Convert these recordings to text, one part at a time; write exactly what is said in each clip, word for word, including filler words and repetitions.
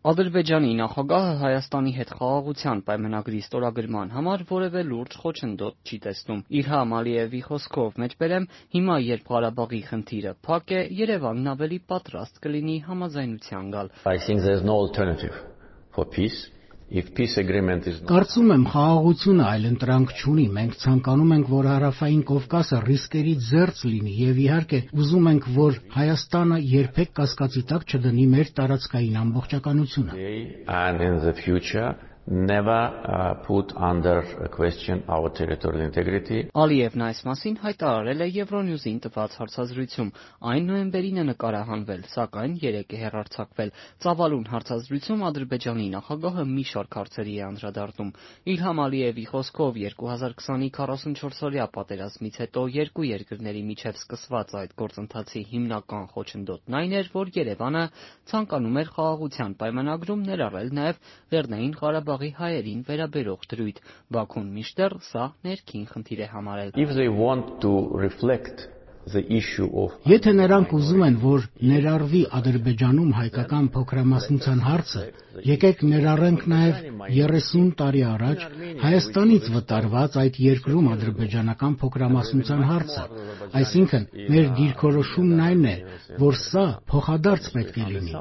Ադրբեջանի նախագահը Հայաստանի հետ խաղաղության պայմանագրի ստորագրման համար որևէ լուրջ խոչընդոտ չի տեսնում։ Իլհամ Ալիևի խոսքով մեջբերեմ, հիմա երբ Ղարաբաղի խնդիրը փակ է, Երևանն ավելի պատրաստ կլինի համաձայնության գալ։ I think there's no alternative for peace. If peace agreement is not... Կարծում եմ խաղաղությունը այլընտրանք չունի, մենք ցանկանում ենք, որ Հարավային Կովկասը ռիսկերի ձեռք լինի եւ իհարկե ուզում ենք, որ Հայաստանը երբեք կասկածի տակ չդնի մեր տարածքային ամբողջականությունը։ And in the future never uh, put under question our territorial integrity. Ալիևն այս մասին հայտարարել է Euronews-ին տված հարցազրույցում։ Այն նոյեմբերին է նկարահանվել, սակայն երեկ է հեռարձակվել։ Ծավալուն հարցազրույցում Ադրբեջանի նախագահը մի շարք հարցերի է անդրադառնում։ Իլհամ Ալիևի խոսքով երկու հազար քսանի քառասունչորսօրյա պատերազմից հետո երկու երկրների միջև սկսված այդ գործընթացի հիմնական խոչընդոտն այն էր, որ Երևանը ցանկանում էր խաղաղության պայմանագրում ներառել նաև Լեռնային Ղարաբաղի հայերին վերաբերող դրույթ։ Բաքուն մինչդեռ սա ներքին խնդիր է համարել։ If they want to reflect the issue of Եթե նրանք ուզում են, որ ներառվի Ադրբեջանում հայկական փոքրամասնության հարցը, եկեք ներառենք նաև երեսուն տարի առաջ Հայաստանից վտարված այդ երկրում ադրբեջանական փոքրամասնության հարցը։ Այսինքն, մեր դիրքորոշումն այն է, որ սա փոխադարձ պետք է լինի։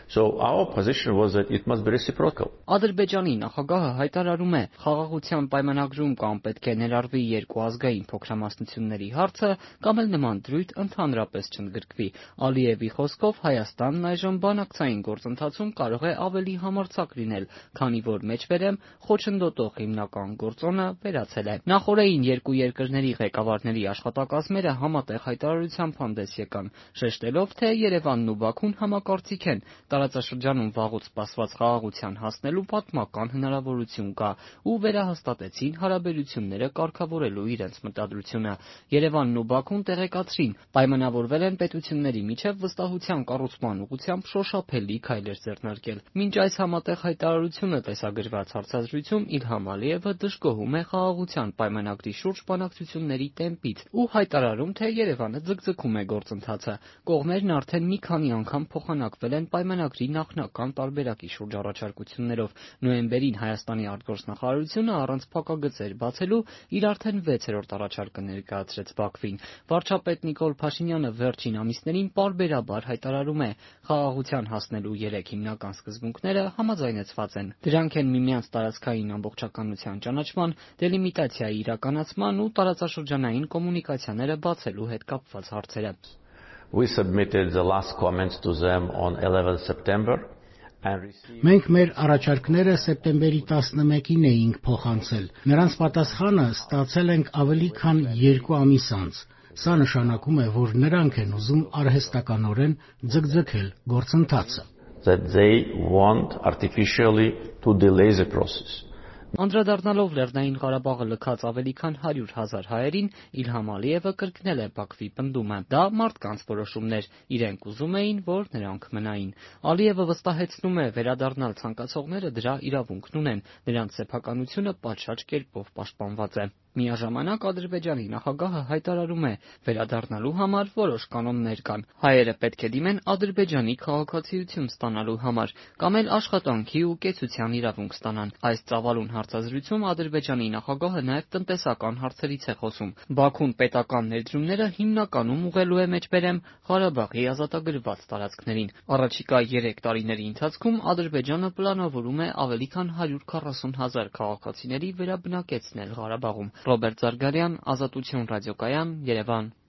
So our position was that it must be reciprocal. Ադրբեջանի նախագահը հայտարարում է, խաղաղության պայմանագրում կամ պետք է ներառվի երկու ազգային փոքրամասնությունների հարցը, կամ էլ նման դրույթ ընդհանրապես չընդգրկվի։ Ալիևի խոսքով Հայաստանն այժմ բանակցային գործընթացում կարող է ավելի համարձակ լինել, քանի որ մեջբերեմ խոչընդոտող հիմնական գործոնը վերացել է։ Նախօրեին երկու երկրների ղեկավարների աշխատակազմերը համատեղ հայտարարությամբ հանդես եկան, շեշտելով, թե Երևանն ու Բաքուն համակարծիք են, տարածաշրջանում վաղուց սպասված խաղաղության հասնելու պատմական հնարավորություն կա ու վերահաստատեցին հարաբերությունները կարգավորելու իրենց մտադրությունը։ Երևանն ու Բաքուն տեղեկացրին, պայմանավորվել են պետությունների միջև վստահության կառուցման ուղղությամբ շոշափելի քայլեր ձեռնարկել։ Մինչ այս համատեղ հայտարարությունը տեսագրված հարցազրույցում Իլհամ Ալիևը դժգոհում է խաղաղության պայմանագրի շուրջ բանակցությունների տեմպից ու հայտարարում, թե Երևանը ձգձգում է գործընթացը։ Կողմերն արդեն մի քանի անգամ փոխանակվել են պայմանագրի նախնական տարբերակի շուրջ առաջարկություններով։ Նոյեմբերին Հայաստանի արտգործնախարարությունը առանց փակագծեր բացելու իր արդեն վեցերորդ առաջարկը ներկայացրեց Բաքվին։ Վարչապետ Նիկոլ Փաշինյանը վերջին ամիսներին պարբերաբար հայտարարում է, խաղաղության հասնելու երեք հիմնական սկզբունքները համաձայնեցված են։ Դրանք են միմյանց տարածքային ամբողջականության ճանաչման, դելիմիտացիայի իրականացման ու տարածաշրջանային կոմունիկացիաները բացելու հետ կապված հարցերը։ We submitted the last comments to them on eleventh September and received Մենք մեր առաջարկները սեպտեմբերի տասնմեկին էինք փոխանցել։ Նրանց պատասխանը ստացել ենք ավելի քան երկու ամիս անց։ Սա նշանակում է, որ նրանք են ուզում արհեստականորեն ձգձգել գործընթացը։ that they want artificially to delay the process. Անդրադառնալով Լեռնային Ղարաբաղը լքած ավելի քան հարյուր հազար հայերին, Իլհամ Ալիևը կրկնել է Բաքվի պնդումը։ Դա մարդկանց որոշումներ, իրենք ուզում էին, որ նրանք մնային։ Ալիևը վստահեցնում է, վերադառնալ ցանկացողները դրա իրավունքն ունեն, նրանց սեփականությունը պատշաճ կերպով պաշտպանված է։ Միաժամանակ Ադրբեջանի նախագահը հայտարարում է, վերադառնալու համար որոշ կանոններ կան։ Հայերը պետք է դիմեն Ադրբեջանի քաղաքացիություն ստանալու համար, կամ էլ աշխատանքի ու կեցության իրավունք ստանան։ Այս ծավալուն հարցազրույցում Ադրբեջանի նախագահը նաև տնտեսական հարցերից է խոսում։ Բաքուն պետական ներդրումները հիմնականում ուղղելու է մեջբերեմ Ղարաբաղի ազատագրված տարածքներին։ Առաջիկա երեք տարիների ընթացքում Ադրբեջանը պլանավորում է ավելի քան հարյուր քառասուն հազար քաղաքացիների վերաբնակեցնել Ղարաբաղում։ Ռոբերտ Զարգարյան, Ազատություն ռադիոկայան, Երևան։